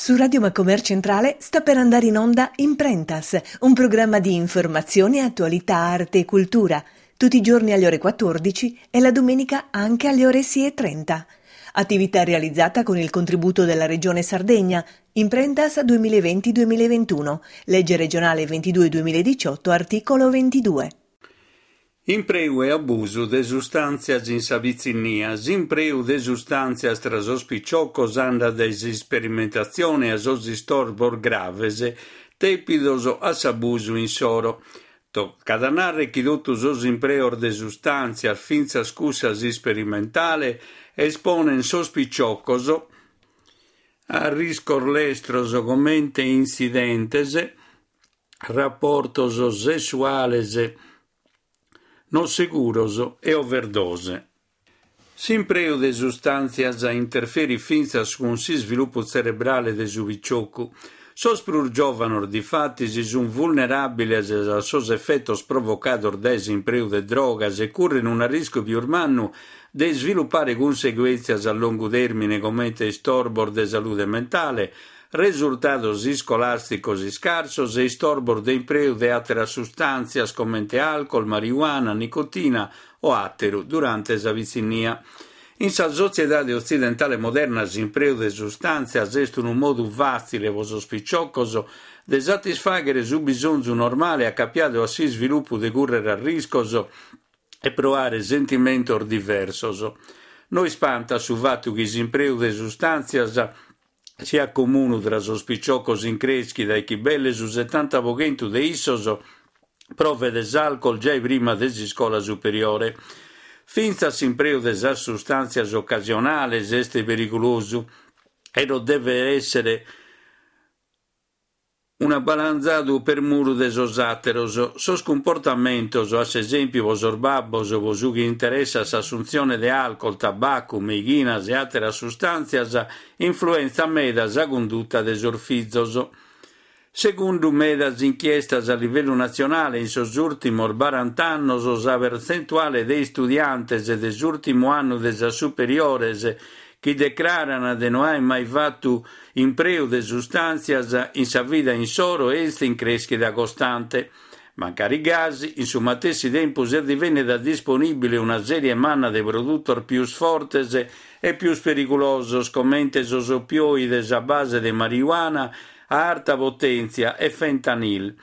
Su Radio Macomer Centrale sta per andare in onda Imprentas, un programma di informazione, attualità, arte e cultura, tutti i giorni alle ore 14 e la domenica anche alle ore 6.30. Attività realizzata con il contributo della Regione Sardegna, Imprentas 2020-2021, legge regionale 22-2018, articolo 22. Impreu e abusu de sustàntzias in sa pitzinnia. S'impreu de sustàntzias tra sos piciocos andat dae s'isperimentatzione a sos istorbos graves dèpidos a s'abusu insoro. Tocat a nàrrere chi totu sos impreos de sustàntzias, fintzas cussas isperimentales, esponent sos piciocos a arriscos lestros comente intzidentes, raportos sessuales no seguros e overdose. S'impreu de sustàntzias interferit fintzas cun s'isvilupu tzerebrale de su piciocu. Sos prus giòvanos, difatis, sunt vulneràbiles a sos efetos provocados dae s'impreu de drogas e curren un'arriscu pius mannu de isvilupare cunseguèntzias a longu tèrmine comente istorbos de salude mentale, Resurtados iscolàsticos iscarsos e istorbos de impreu de àteras sustàntzias comente alcol, marijuana, nicotina o àteru durante sa pitzinnia. In sa sotziedade otzidentale moderna s'impreu de sustàntzias est unu modu fàtzile pro sos piciocos de satisfàghere su bisonzu normale acapiadu a s'isvilupu de cùrrere arriscos e proare sentimentos diversos. No ispantat su fatu chi s'impreu de sustàntzias siat comunu tra sos piciocos in crèschida e chi belle su setanta pro chentu de issos provet s'alcol giai prima de s'iscola superiore. Fintzas s'impreu de sas sustàntzias ocasionales est perigulosu e non devet èssere Un'abalanzadu per muru de sos àteros. Sos cumportamentos, a s'esèmpiu pro sos babbos pro su chi interessat s'assuntzione de alcol, tabacu, meighinas e àteras sustàntzias, influentzat meda sa cunduta de sos fizos. Segundu medas inchiestas a livellu natzionale in sos ùrtimos barant'annos sa pertzentuale de istudiantes de s'ùrtimu annu de sas superiores chi decraran de no aer mai fatu impreu de sustàntzias in sa vida insoro est in crèschida costante. Mancari gasi, in su matessi tempus est divennida disponìbile una sèrie manna de produtos pius fortes e pius perigulosos comente sos opioides a base de marijuana a arta potèntzia e fentanyl.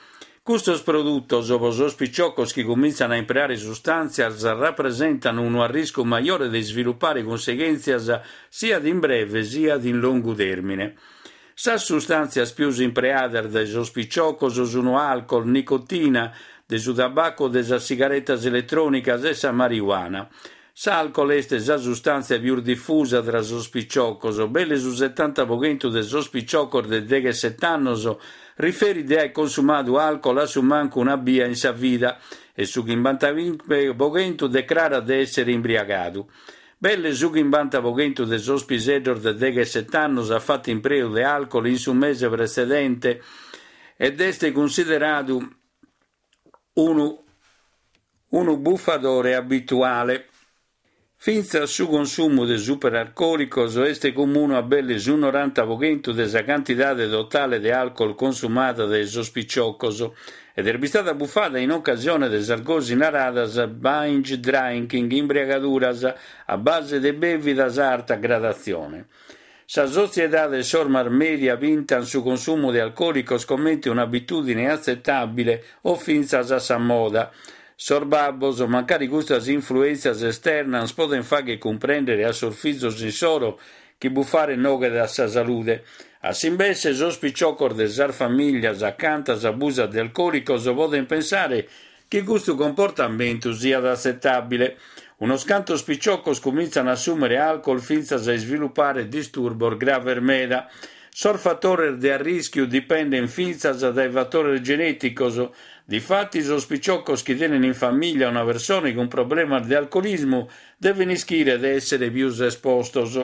Custos produtos, pro sos piciocos chi cumintzan a impreare sustàntzias, rapresentan unu arriscu majore de isvilupare cunseghèntzias siat in breve siat in longu tèrmine. Sas sustàntzias pius impreadas dae sos piciocos sun alcol, nicotina, de su tabacu de sas sigaretas eletrònicas e sa marijuana. S'alcol est sa sustàntzia pius difusa tra sos piciocos, belle su setanta pro chentu de sos piciocos de degheset'annos riferit de aer consumadu alcol a su mancu una bia in sa vida e su chimbantachimbe pro chentu decrarat de èssere imbriagadu. Belle su chimbanta pro chentu de sos piseddos de degheset'annos at fatu impreu de alcol in su mese pretzedente ed est cunsideradu unu unu bufadore abituale. Fintzas su consumu de superarcòlicos est comunu a belle su noranta pro chentu de sa cantidade totale de alcol consumada dae sos piciocos ed est bistada bufada in ocasione de sas gosi naradas binge drinking, imbriagaduras a base de bèvidas a arta gradatzione. Sa sotziedade e sos mass media pintant su consumu de alcòlicos comente un'abitùdine atzetàbile o fintzas a sa moda. Sos babbos, mancari custas influèntzias esternas podent fàghere cumprèndere a sos fizos insoro chi bufare noghet a sa salude. A s'imbesse, sos piciocos de sas famìllias acanta s'abusat de alcòlicos podent pensare chi custu comportamentu siat atzetàbile. Unos cantos piciocos cumintzan a assùmere alcol fintzas a isvilupare disturbos graves meda. Sos fatores de arrischiu dipendent fintzas dae fatores genèticos. Difatis sos piciocos chi tenen in famìllia una persone cun problemas de alcolismu deven ischire de èssere pius espostos.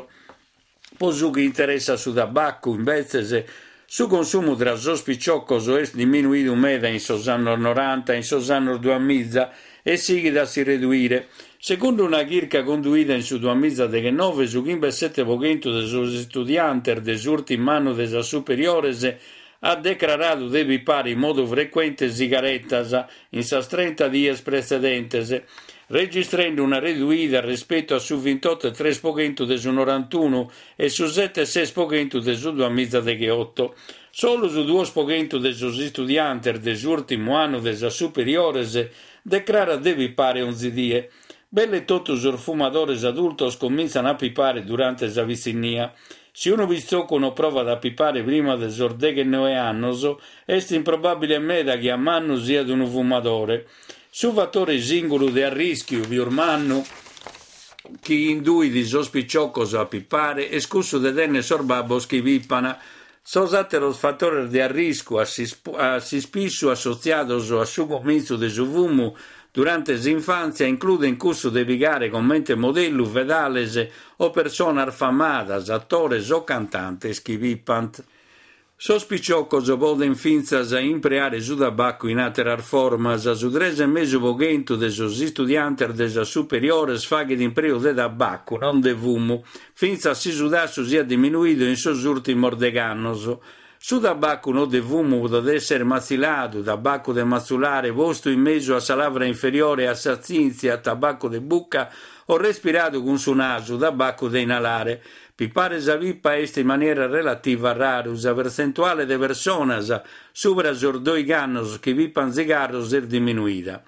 Po su chi interessat su tabacu, imbetzes, su consumu tra sos piciocos est diminuidu meda in sos annos noranta e in sos annos duamiza e sighit a si reduire. Segundu una chirca conduida in su duamizadeghenove, su chimbesete pro chentu de sos istudiantes de s'ùrtimu annu de sas superiores at decraradu de pipare in modu frecuente sigaretas in sas trenta dies pretzedentes, registrende una reduida respetu a su vintotto e tres pro chentu de su norantunu e su sete e ses pro chentu de su duamizadegheoto. Solu su duos pro chentu de sos istudiantes de s'ùrtimu annu de sas superiores decrarat de pipare onzi die. Belle totu sos fumadores adultos comintzan a pipare durante sa pitzinnia. Si unu pitzocu no provat a pipare prima de sos deghenoe annos, est improbàbile meda chi a mannu siat unu fumadore. Su fatore sìngulu de arrìschiu pius mannu chi induit sos piciocos a pipare est cussu de tènnere sos babbos chi pipan. Sos àteros fatores de arriscu, a s'ispissu assotziados a su comintzu de su fumu durante s'infàntzia, includent cussu de pigare comente modellu fedales o personas famadas, atores o cantantes chi pipant. Sos piciocos podent fintzas impreare su tabacu in àteras formas. Su tres e mesu pro chentu de sos istudiantes de sas superiores faghet impreu de tabacu, non de fumu, fintzas si su tassu siat diminuidu in sos ùrtimos degh'annos. Su tabacu no de fumu podet èssere matziladu, tabacu de matzulare postu in mesu a sa lavra inferiore e a sa tzintzia, tabacu de buca, o respiradu cun su nasu, tabacu de inalare. Pipare sa pipa est in maniera relativa raru, sa pertzentuale de personas subra sos doigh'annos chi pipant zigarros est diminuida.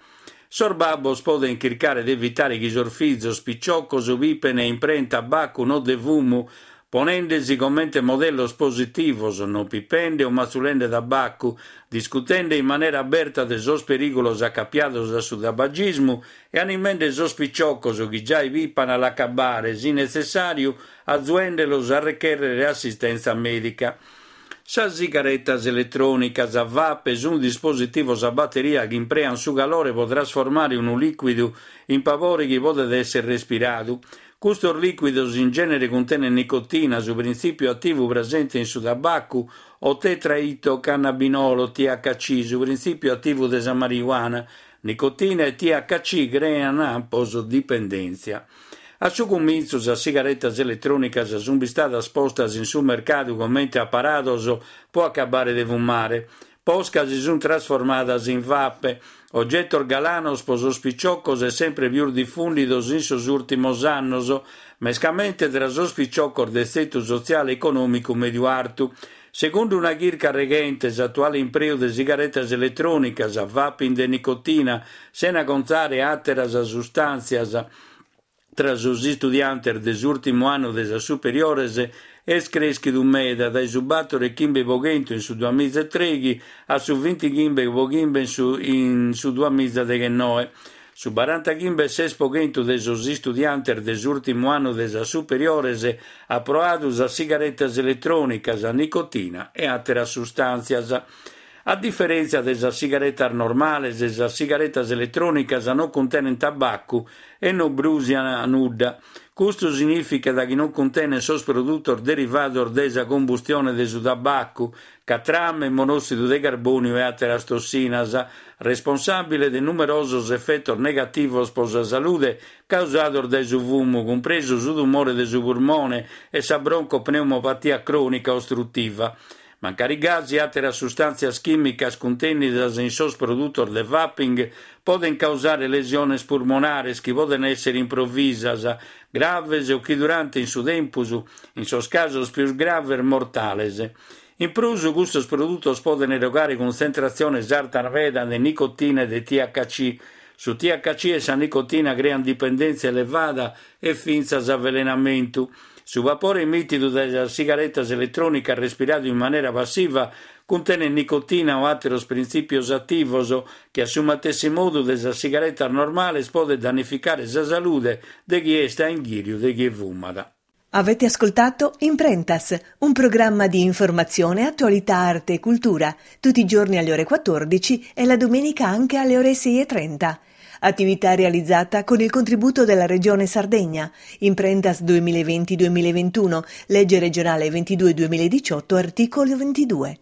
Sos babbos podent chircare de evitare chi sos fizos piciocos pipen e impreent tabacu no de fumu, ponende-si comente modellos positivos, non pipende o matzulende tabacu, discutende in manera aberta de sos perìgulos acapiados a su tabagismu e animende sos piciocos chi giai pipan a l'acabbare, si netzessàriu, azuende-los a rechèrrere assistèntzia mèdica. Sas sigaretas eletrònicas, vape, sunt dispositivos a bateria chi impreant su calore pro trasformare unu lìcuidu in papore chi podet èssere respiradu. Custos lìcuidos in gènere cuntenent nicotina, su printzìpiu ativu presente in su tabacu, o tetraidrocannabinolo, THC, su printzìpiu ativu de sa marijuana. Nicotina e THC crean ampos dipendèntzia. A su cumintzu sas sigaretas eletrònicas sunt bistadas postas in su mercadu comente aparados pro acabbare de fumare. Posca si sunt trasformadas in vape, ogetos galanos pro sos piciocos e sempre pius difùndidos in sos ùrtimos annos, mescamente tra sos piciocos de tzetu sotziale e econòmicu mèdiu-artu. Segundu una chirca reghente, s'atuale impreu de sigaretas eletrònicas, vaping de nicotina, sena contare àteras sustàntzias, tra sos istudiantes de s'ùrtimu annu de sas superiores est crèschidu meda, dae su bator e chimbe pro chentu in su duamiza e trèighi a su bintichimbe pro chimbe in su duamiza deghennoe. Su barantachimbe e ses pro chentu de sos istudiantes de s'ùrtimu annu de sas superiores at proadu sas sigaretas eletrònicas, nicotina e àteras sustàntzias. A diferèntzia de sas sigaretas normales, sas sigaretas eletrònicas non cuntenent tabacu e non brùsiant nudda. Custu signìficat chi non cuntenent sos produtos derivados dae sa combustione de su tabacu, catrame, monòssidu de carbòniu e àteras tossinas, responsàbile de numerosos efetos negativos pro sa salude causados dae su fumu, cumpresu su tumore de su purmone e sa broncopneumopatia crònica ostrutiva. Mancari gasi, àteras sustàntzias chìmicas cuntènnidas in sos produtos de vaping podent causare lesiones purmonares chi podent èssere improvisas, graves o chi durant in su tempus, in sos casos pius graves mortales. In prus, custos produtos podent erogare cuntzentratziones artas meda de nicotina e de THC. Su THC e sa nicotina creant dipendèntzia elevada e fintzas avelenamentu. Su vapore emìtidu dae sas sigaretas eletrònicas respiradu in manera passiva cuntenet nicotina o àteros printzìpios ativos chi a su matessi modu de sas sigaretas normales podet dannificare sa salude de chie est a inghìriu de chie fumat. Avete ascoltato Imprentas, un programma di informazione, attualità, arte e cultura, tutti i giorni alle ore 14 e la domenica anche alle ore 6.30. Attività realizzata con il contributo della Regione Sardegna. Imprentas 2020-2021, legge regionale 22-2018, articolo 22.